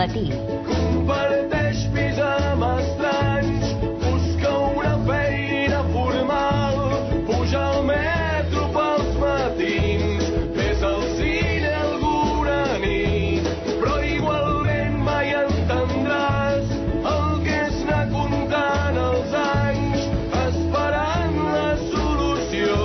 matí. Comparteix pis amb estranys, busca una feina formal, puja al metro pels matins, ves al cine alguna nit, però igualment mai entendràs el que és anar comptant els anys, esperant la solució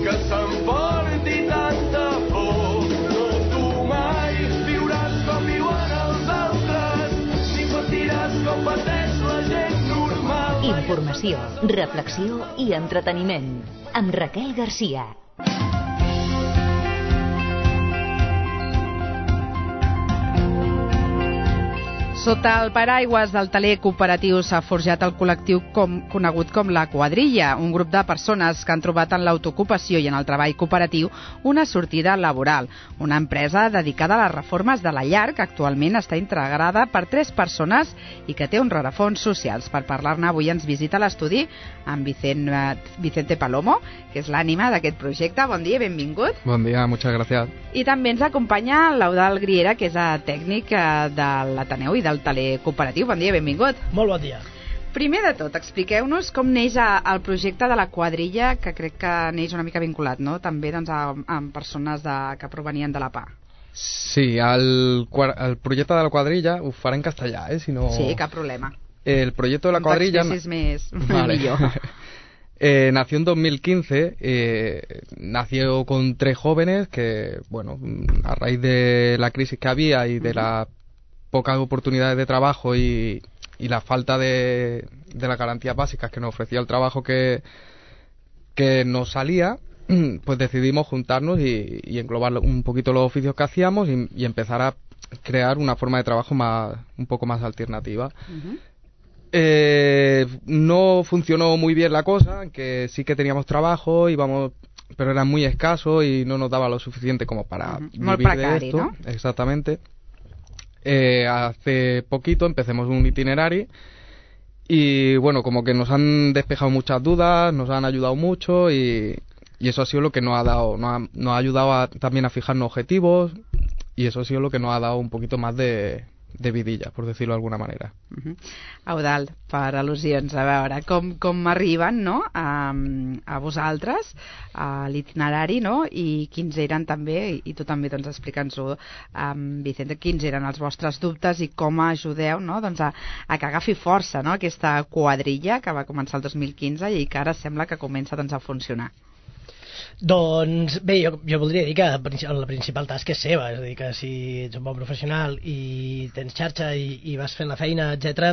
que s'emporti tanta por. No, tu mai viuràs com viuen els altres, ni patiràs com pateix la gent normal. Informació, reflexió i entreteniment. Amb Raquel Garcia. Sota el paraigües del taler cooperatiu s'ha forjat el col·lectiu conegut com la Quadrilla, un grup de persones que han trobat en l'autoocupació i en el treball cooperatiu una sortida laboral. Una empresa dedicada a les reformes de la llar que actualment està integrada per 3 persones i que té uns rerefons socials. Per parlar-ne avui ens visita a l'estudi amb Vicente Palomo, que és l'ànima d'aquest projecte. Bon dia, benvingut. Bon dia, muchas gracias. I també ens acompanya l'Eudald Griera, que és tècnic de l'Ateneu i del taler cooperatiu. Bon dia, benvingut. Molt bon dia. Primer de tot, expliqueu-nos com neix el projecte de la Quadrilla, que crec que neix una mica vinculat, no? També doncs, amb persones que provenien de la PA. Sí, el proyecto de la Cuadrilla, ho faré en castellà, si no... Sí, cap problema. El proyecto de la Cuadrilla... Més vale. millor. Nació en 2015, nació con 3 jóvenes que, bueno, a raíz de la crisis que había y de las pocas oportunidades de trabajo y la falta de las garantías básicas que nos ofrecía el trabajo que nos salía, pues decidimos juntarnos y englobar un poquito los oficios que hacíamos y empezar a crear una forma de trabajo un poco más alternativa. No funcionó muy bien la cosa, que sí que teníamos trabajo, pero era muy escaso y no nos daba lo suficiente como para vivir de esto. ¿No? Exactamente. Hace poquito empecemos un itinerario y bueno, como que nos han despejado muchas dudas, nos han ayudado mucho y eso ha sido lo que nos ha ayudado también a fijarnos objetivos y eso ha sido lo que nos ha dado un poquito más de vidilla, por decirlo de alguna manera. Eudald, per al·lusions, a veure, com arriben, no?, a vosaltres, a l'itinerari, no?, i quins eren també, i tu també doncs, explica'ns-ho, Vicente, quins eren els vostres dubtes i com ajudeu, no?, doncs, a que agafi força, no?, aquesta quadrilla que va començar el 2015 i que ara sembla que comença doncs, a funcionar. Doncs bé, jo voldria dir que la principal tasca és seva, és a dir, que si ets un bon professional i tens xarxa i vas fent la feina, etc.,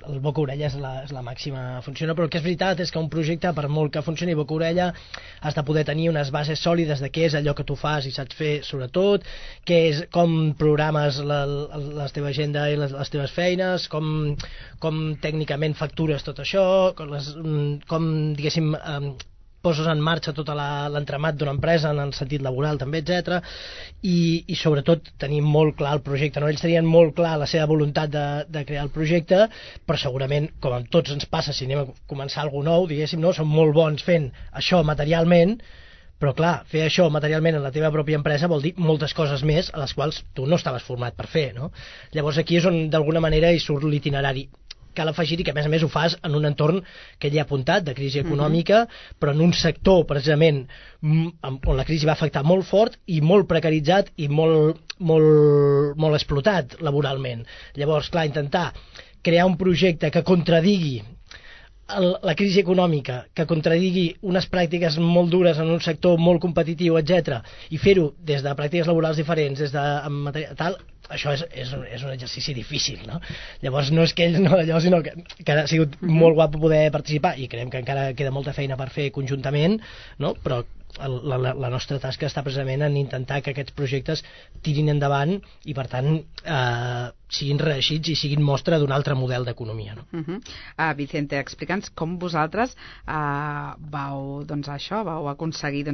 el boca-orella és la màxima funciona, però el que és veritat és que un projecte, per molt que funcioni boca-orella, has de poder tenir unes bases sòlides de què és allò que tu fas i saps fer, sobretot, com programes la teva agenda i les teves feines, com tècnicament factures tot això, com diguéssim, poses en marxa tot l'entramat d'una empresa en el sentit laboral també, etc. I sobretot tenir molt clar el projecte, no? Ells tenien molt clar la seva voluntat de crear el projecte, però segurament, com a tots ens passa si anem a començar alguna nou, diguéssim, no? Són molt bons fent això materialment, però clar, fer això materialment en la teva pròpia empresa vol dir moltes coses més a les quals tu no estaves format per fer, no? Llavors aquí és on d'alguna manera hi surt l'itinerari. Cal afegir-hi que a més ho fas en un entorn que ell ha apuntat, de crisi econòmica, però en un sector precisament on la crisi va afectar molt fort i molt precaritzat i molt explotat laboralment. Llavors, clar, intentar crear un projecte que contradigui la crisi econòmica, que contradigui unes pràctiques molt dures en un sector molt competitiu, etc., i fer-ho des de pràctiques laborals diferents, des de tal, això és un exercici difícil, no? Llavors no és que ells no allò, sinó que ha sigut molt guapo poder participar i creiem que encara queda molta feina per fer conjuntament, no? Però la nostra tasca està precisament en intentar que aquests projectes tirin endavant i per tant siguin reeixits i siguin mostra d'un altre model d'economia, no? Vicente, explica'ns com vosaltres vau aconseguir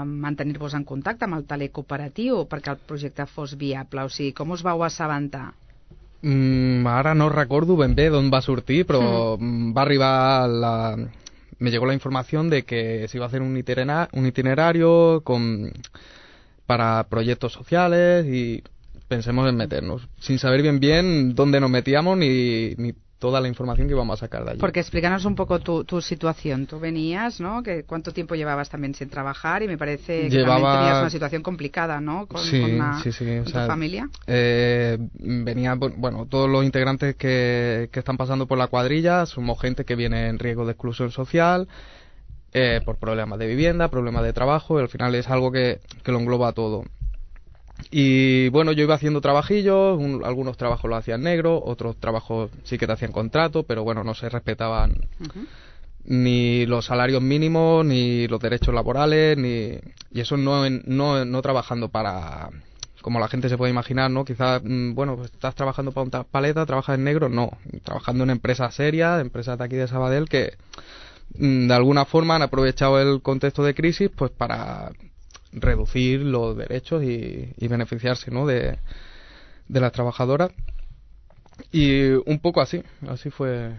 mantenir-vos en contacte amb el taler cooperatiu perquè el projecte fos viable, o sigui, com us vau assabentar? Ara no recordo ben bé d'on va sortir, però va arribar me llegó la información de que se iba a hacer un itinerario para proyectos sociales y pensemos en meternos, sin saber bien dónde nos metíamos ni toda la información que íbamos a sacar de allí. Porque explícanos un poco tu situación. Tú venías, ¿no? ¿Cuánto tiempo llevabas también sin trabajar? Y me parece que también tenías una situación complicada, ¿no? Con tu familia. Venía, bueno, todos los integrantes que están pasando por la cuadrilla somos gente que viene en riesgo de exclusión social, por problemas de vivienda, problemas de trabajo, y al final es algo que lo engloba todo. Y bueno, yo iba haciendo trabajillos, algunos trabajos los hacía en negro, otros trabajos sí que te hacían contrato, pero bueno, no se respetaban ni los salarios mínimos, ni los derechos laborales, y eso no trabajando para, como la gente se puede imaginar, ¿no? Quizás, bueno, pues estás trabajando para una paleta, trabajas en negro, no, trabajando en empresas serias, empresas de aquí de Sabadell que de alguna forma han aprovechado el contexto de crisis pues para reducir los derechos y beneficiarse, ¿no? de las trabajadoras, y un poco así fue.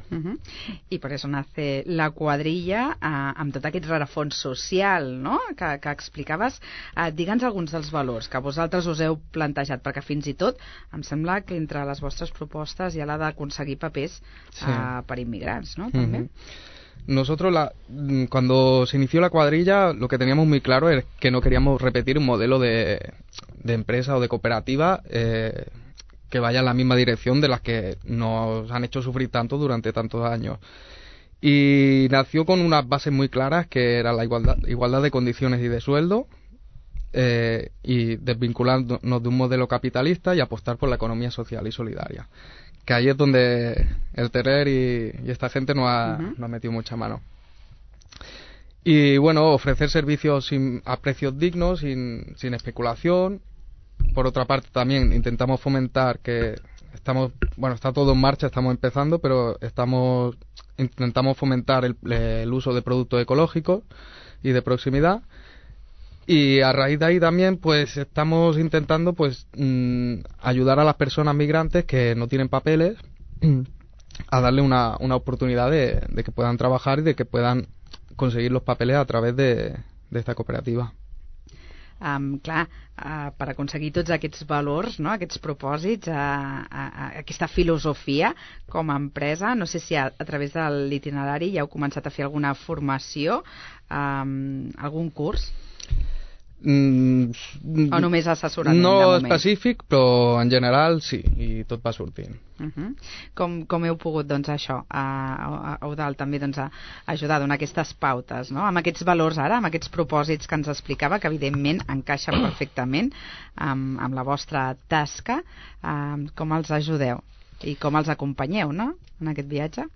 I per això nace la quadrilla amb tot aquest rerefons social, no? que explicaves. Digue'ns alguns dels valors que vosaltres us heu plantejat, perquè fins i tot em sembla que entre les vostres propostes hi ha la d'aconseguir papers per immigrants, no? També. Nosotros, cuando se inició la cuadrilla, lo que teníamos muy claro es que no queríamos repetir un modelo de empresa o de cooperativa que vaya en la misma dirección de las que nos han hecho sufrir tanto durante tantos años. Y nació con unas bases muy claras, que era la igualdad de condiciones y de sueldo, y desvincularnos de un modelo capitalista y apostar por la economía social y solidaria. Que ahí es donde el Terrer y esta gente nos ha metido mucha mano. Y bueno, ofrecer servicios a precios dignos, sin especulación. Por otra parte, también intentamos fomentar que está todo en marcha, estamos empezando, pero intentamos fomentar el uso de productos ecológicos y de proximidad. Y a raíz de ahí también pues estamos intentando pues ayudar a las personas migrantes que no tienen papeles a darle una oportunidad de que puedan trabajar y de que puedan conseguir los papeles a través de esta cooperativa. Per aconseguir tots aquests valors, no? Aquests propòsits, aquesta filosofia com a empresa, no sé si a través de l'itinerari ja heu començat a fer alguna formació, algun curs? O només assessorament no de moment? No específic, però en general sí, i tot va sortint. Com heu pogut, doncs, això, a Eudald, també doncs, ajudar a donar aquestes pautes, no? Amb aquests valors ara, amb aquests propòsits que ens explicava, que evidentment encaixen perfectament amb la vostra tasca, com els ajudeu i com els acompanyeu, no?, en aquest viatge?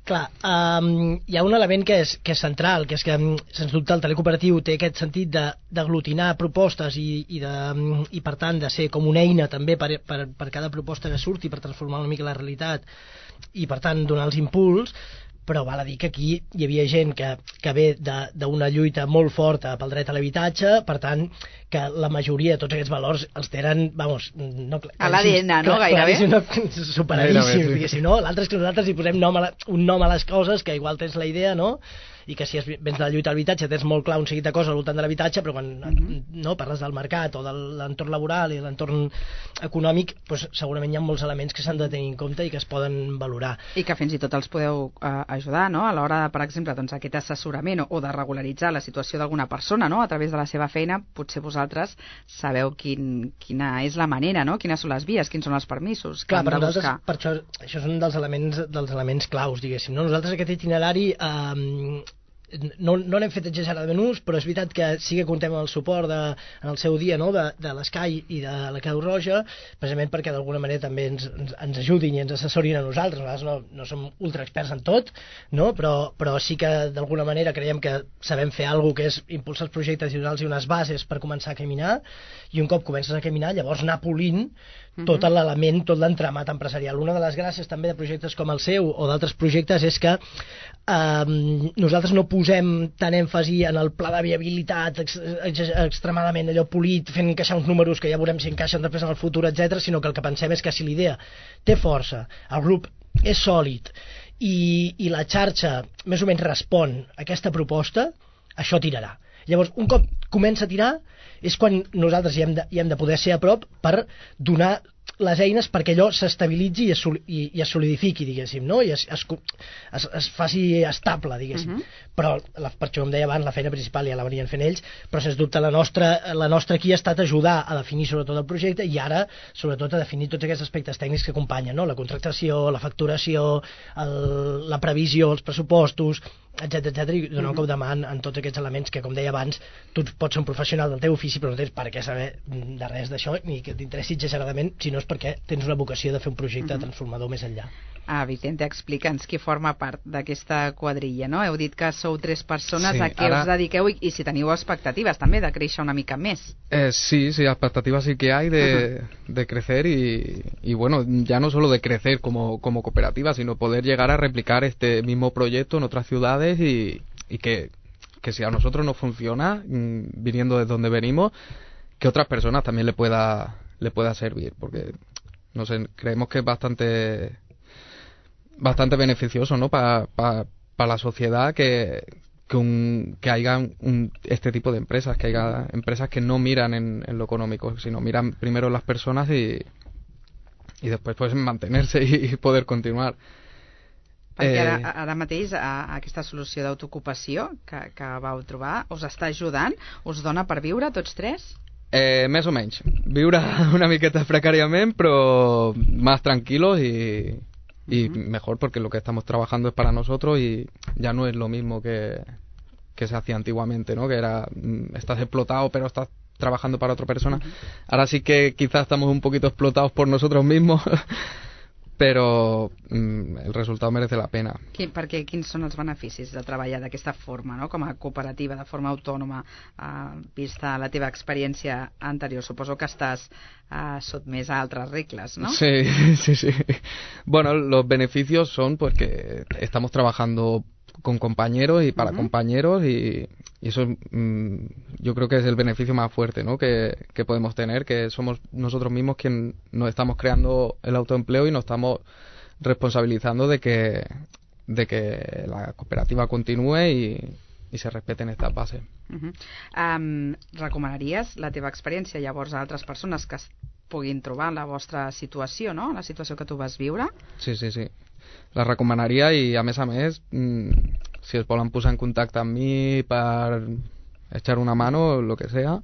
Clar, hi ha un element que és central, que és que, sens dubte, el telecooperatiu té aquest sentit d'aglutinar propostes i per tant de ser com una eina també per cada proposta que surti, per transformar una mica la realitat i per tant donar els impuls, però val a dir que aquí hi havia gent que ve d'una lluita molt forta pel dret a l'habitatge, per tant, que la majoria de tots aquests valors els tenen, vamos... a l'ADN, no? Gairebé. Superadíssims, diguéssim, no? L'altre és que nosaltres hi posem un nom a les coses, que igual tens la idea, no?, i que si vens de la lluita a l'habitatge tens molt clar un seguit de coses al voltant de l'habitatge, però quan no parles del mercat o de l'entorn laboral i l'entorn econòmic, doncs segurament hi ha molts elements que s'han de tenir en compte i que es poden valorar. I que fins i tot els podeu ajudar, no?, a l'hora, per exemple, doncs, aquest assessorament o de regularitzar la situació d'alguna persona, no?, a través de la seva feina. Potser vosaltres sabeu quina és la manera, no?, quines són les vies, quins són els permisos que han de buscar. Per això és un dels elements claus, diguéssim, no? Nosaltres aquest itinerari no l'hem fet exageradament ús, però és veritat que sí que contem amb el suport en el seu dia, no?, de l'Escai i de la Creu Roja, precisament perquè d'alguna manera també ens ajudin i ens assessorin a nosaltres. Nosaltres no som ultra experts en tot, no?, però sí que d'alguna manera creiem que sabem fer alguna cosa que és impulsar els projectes i donar-los unes bases per començar a caminar, i un cop comences a caminar llavors anar polint tot l'element, tot l'entramat empresarial. Una de les gràcies també de projectes com el seu o d'altres projectes és que nosaltres no posem tant èmfasi en el pla de viabilitat extremadament allò polit, fent encaixar uns números que ja veurem si encaixen després en el futur, etc., sinó que el que pensem és que si l'idea té força, el grup és sòlid i la xarxa més o menys respon a aquesta proposta, això tirarà. Llavors, un cop comença a tirar, és quan nosaltres hi hem de poder ser a prop per donar les eines perquè allò s'estabilitzi i es solidifiqui, diguéssim, no? I es faci estable, diguéssim. Però, per això com deia abans, la feina principal ja la venien fent ells, però sens dubte la nostra aquí ha estat ajudar a definir sobretot el projecte i ara, sobretot, a definir tots aquests aspectes tècnics que acompanyen, no? La contractació, la facturació, la previsió, els pressupostos, etc i donar un cop de mà en tots aquests elements que, com deia abans, tu pots ser un professional del teu ofici però no tens per què saber de res d'això ni que t'interessi exageradament, si no és perquè tens una vocació de fer un projecte transformador més enllà. Vicente, explica'ns qui forma part d'aquesta quadrilla, no? Heu dit que sou 3 persones, sí, a què us dediqueu i si teniu expectatives també de créixer una mica més. Sí, expectativas sí que hay de crecer y bueno, ya no solo de crecer como cooperativa, sino poder llegar a replicar este mismo proyecto en otras ciudades y que si a nosotros nos funciona, viniendo de donde venimos, que otras personas también le pueda servir, porque no sé, creemos que es bastante beneficioso, ¿no? Para la sociedad que haya este tipo de empresas, que haya empresas que no miran en lo económico, sino miran primero en las personas y después pues mantenerse y poder continuar. Perquè ara mateix aquesta solució d'autoocupació que vau trobar us està ajudant? Us dona per viure tots 3? Més o menys. Viure una miqueta precàriament, però más tranquilos y mejor, porque lo que estamos trabajando es para nosotros y ya no es lo mismo que se hacía antiguamente, ¿no? Que era, estás explotado pero estás trabajando para otra persona. Ahora sí que quizás estamos un poquito explotados por nosotros mismos, però el resultat merece la pena. Perquè quins són els beneficis de treballar d'aquesta forma, no? Com a cooperativa, de forma autònoma, vista la teva experiència anterior? Suposo que estàs sotmès a altres regles, ¿no? Sí. Bueno, los beneficios son pues que estamos trabajando con compañeros y para compañeros y eso yo creo que es el beneficio más fuerte, ¿no? que podemos tener, que somos nosotros mismos quienes nos estamos creando el autoempleo y nos estamos responsabilizando de que la cooperativa continúe y se respeten estas bases. Recomanaries la teva experiència llavors a altres persones que es puguin trobar en la vostra situació, no? La situació que tu vas viure? Sí. La recomanaria i a més, si es volen posar en contacte amb mi per echar una mano, lo que sea,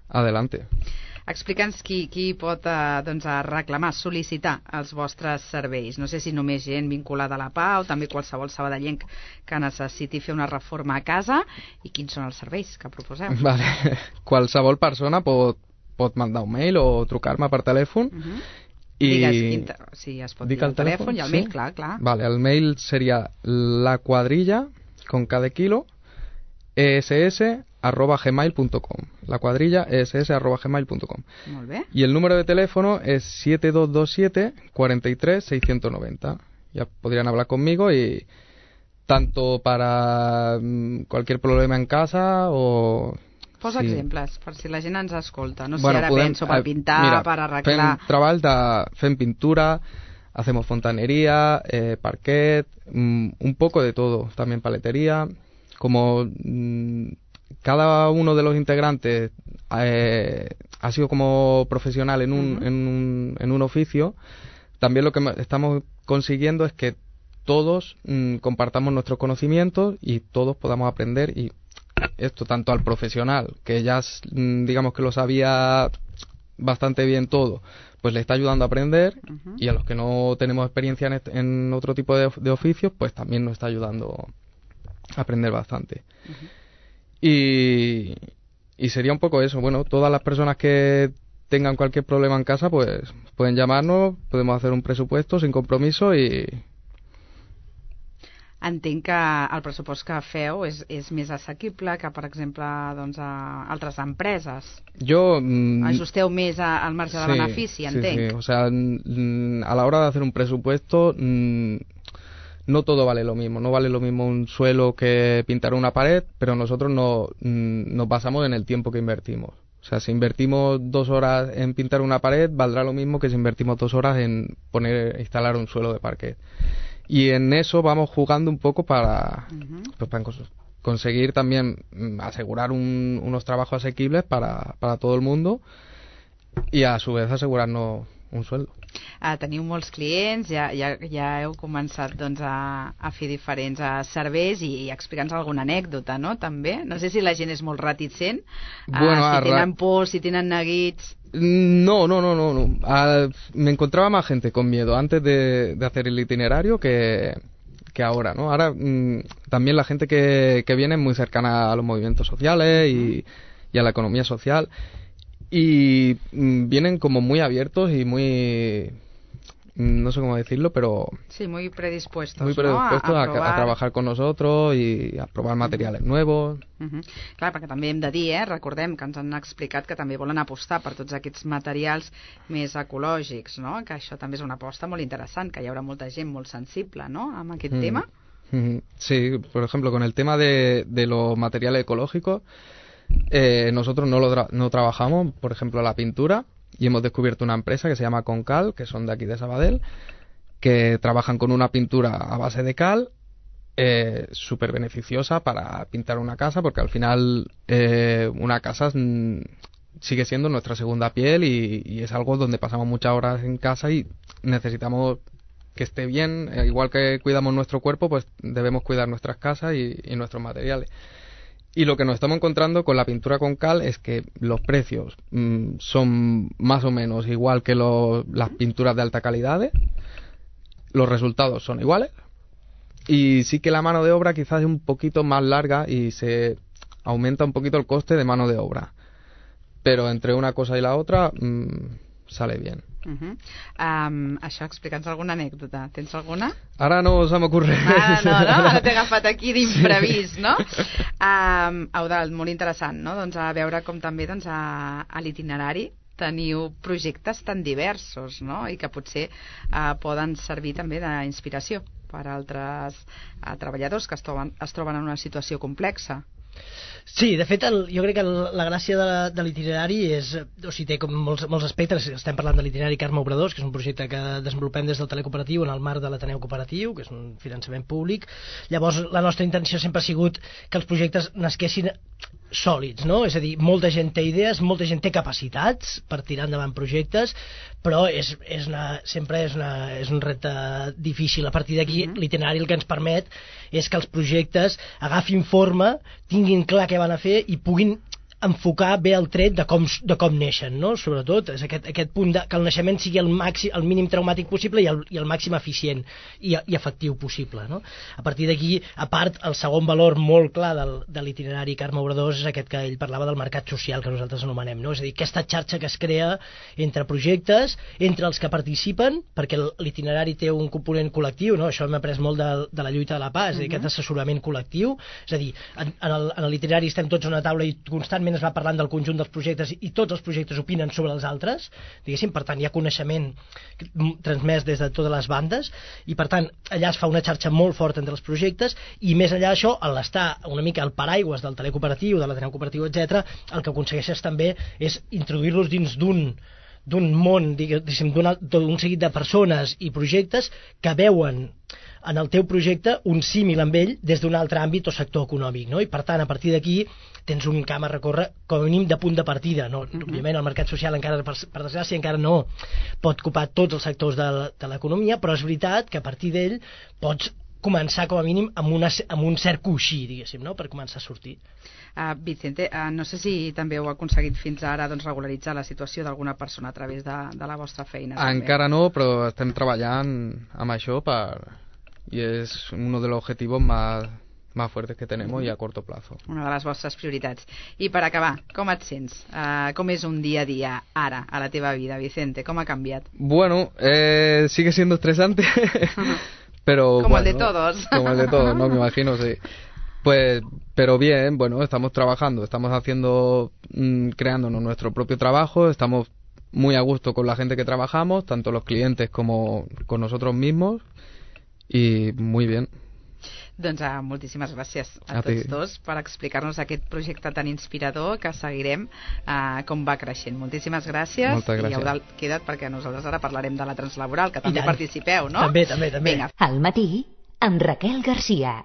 adelante. Explica'ns qui pot reclamar, sol·licitar els vostres serveis. No sé si només gent vinculada a la PA o també qualsevol sabadellenc que necessiti fer una reforma a casa, i quins són els serveis que proposeu? Vale. Qualsevol persona pot mandar un mail o trucar-me per telèfon. Digues, si es pot dir el telèfon i el mail, clar. Vale, el mail seria la cuadrilla, con cada kilo, ess@gmail.com. La cuadrilla ess@gmail.com. Molt bé. Y el número de teléfono es 7227 43 690. Ya podrían hablar conmigo y tanto para cualquier problema en casa o... Posa exemples, per si la gent ens escolta. No sé, ara penso per pintar, mira, per arreglar... Fem pintura, hacemos fontanería, parquet, un poco de todo, también paletería. Como cada uno de los integrantes ha sido como profesional en un oficio, también lo que estamos consiguiendo es que todos compartamos nuestros conocimientos y todos podamos aprender, y esto tanto al profesional, que ya digamos que lo sabía bastante bien todo, pues le está ayudando a aprender, y a los que no tenemos experiencia en otro tipo de oficios, pues también nos está ayudando a aprender bastante. Y sería un poco eso. Bueno, todas las personas que tengan cualquier problema en casa, pues pueden llamarnos, podemos hacer un presupuesto sin compromiso y... Entenc que el pressupost que feu és més assequible que, per exemple, doncs, a altres empreses. Ajusteu més al marge de benefici, entenc. Sí. O sea, a la hora de hacer un presupuesto, no todo vale lo mismo. No vale lo mismo un suelo que pintar una pared, pero nosotros nos basamos en el tiempo que invertimos. O sea, si invertimos 2 horas en pintar una pared, valdrá lo mismo que si invertimos 2 horas en instalar un suelo de parquet. Y en eso vamos jugando un poco para conseguir también asegurar unos trabajos asequibles para todo el mundo y a su vez asegurarnos un sueldo. Teniu molts clients, ja heu començat doncs, a fer diferents serveis i explica'ns alguna anècdota, no? També. No sé si la gent és molt reticent, si tenen por, si tenen neguits... No. Me encontraba más gente con miedo antes de hacer el itinerario que ahora, ¿no? Ahora también la gente que viene es muy cercana a los movimientos sociales y a la economía social y vienen como muy abiertos y muy... no sé cómo decirlo, pero... Sí, muy predispuestos, ¿no? a trabajar con nosotros y a probar materiales nuevos. Clar, perquè també hem de dir, recordem que ens han explicat que també volen apostar per tots aquests materials més ecològics, no? Que això també és una aposta molt interessant, que hi haurà molta gent molt sensible, no?, amb aquest tema. Sí, por ejemplo, con el tema de los materiales ecológicos, nosotros no trabajamos, por ejemplo, la pintura, y hemos descubierto una empresa que se llama Concal, que son de aquí de Sabadell, que trabajan con una pintura a base de cal, súper beneficiosa para pintar una casa, porque al final una casa sigue siendo nuestra segunda piel y es algo donde pasamos muchas horas en casa y necesitamos que esté bien. Igual que cuidamos nuestro cuerpo, pues debemos cuidar nuestras casas y nuestros materiales. Y lo que nos estamos encontrando con la pintura con cal es que los precios son más o menos igual que las pinturas de alta calidad, los resultados son iguales, y sí que la mano de obra quizás es un poquito más larga y se aumenta un poquito el coste de mano de obra, pero entre una cosa y la otra sale bien. Això, explica'ns alguna anècdota. Tens alguna? Ara no se m'ocorre. No? Ara t'he agafat aquí d'imprevist, no? Eudald, molt interessant, no? Doncs a veure com també a l'itinerari teniu projectes tan diversos, no? I que potser poden servir també d'inspiració per a altres treballadors que es troben en una situació complexa. Sí, de fet, jo crec que la gràcia de l'itinerari és, o sigui, té com molts aspectes. Estem parlant de l'itinerari Carme Obradors, que és un projecte que desenvolupem des del Telecooperatiu en el marc de l'Ateneu Cooperatiu, que és un finançament públic. Llavors, la nostra intenció sempre ha sigut que els projectes nasquessin sòlids, no? És a dir, molta gent té idees, molta gent té capacitats per tirar endavant projectes, però sempre és un repte difícil. A partir d'aquí, l'itinerari el que ens permet és que els projectes agafin forma, tinguin clar què van a fer i puguin enfocar bé el tret de com neixen, no? Sobretot és aquest punt que el naixement sigui el mínim traumàtic possible i el màxim eficient i efectiu possible, no? A partir d'aquí, a part, el segon valor molt clar de l'itinerari Carme Obradors és aquest que ell parlava del mercat social, que nosaltres anomenem, no? És a dir, aquesta xarxa que es crea entre projectes, entre els que participen, perquè l'itinerari té un component col·lectiu, no? Això hem après molt de la lluita de la paz, aquest assessorament col·lectiu. És a dir, en l'itinerari estem tots a una taula i constantment es va parlant del conjunt dels projectes i tots els projectes opinen sobre els altres, diguéssim. Per tant, hi ha coneixement transmès des de totes les bandes i, per tant, allà es fa una xarxa molt forta entre els projectes i, més enllà d'això, a l'estar una mica al paraigües del Telecooperatiu, de l'Ateneu Cooperatiu, etc., el que aconsegueixes també és introduir-los dins d'un món, diguéssim, d'un seguit de persones i projectes que veuen en el teu projecte un símil amb ell des d'un altre àmbit o sector econòmic, no? I per tant, a partir d'aquí tens un camp a recórrer com a mínim de punt de partida, no? Òbviament el mercat social encara, per desgràcia, encara no pot ocupar tots els sectors de l'economia, però és veritat que a partir d'ell pots començar com a mínim amb un cert coixí, diguéssim, no? Per començar a sortir. Vicente, no sé si també heu aconseguit fins ara regularitzar la situació d'alguna persona a través de la vostra feina. Encara no, però estem treballant amb això y es uno de los objetivos más fuertes que tenemos y a corto plazo. Una de les vostres prioritats. I per acabar, com et sents? Com és un dia a dia ara a la teva vida, Vicente? Com ha canviat? Bueno, sigue siendo estresante, pero como el de todos. Como el de todos, no me imagino, sí. Pues, pero bien, bueno, estamos trabajando, estamos creándonos nuestro propio trabajo, estamos muy a gusto con la gente que trabajamos, tanto los clientes como con nosotros mismos. I muy bien. Doncs moltíssimes gràcies a tots dos per explicar-nos aquest projecte tan inspirador que seguirem com va creixent. Moltíssimes gràcies. Moltes gràcies. I Eudald, queda't perquè nosaltres ara parlarem de la translaboral, que també participeu, no? També. Vinga. Al matí, amb Raquel Garcia.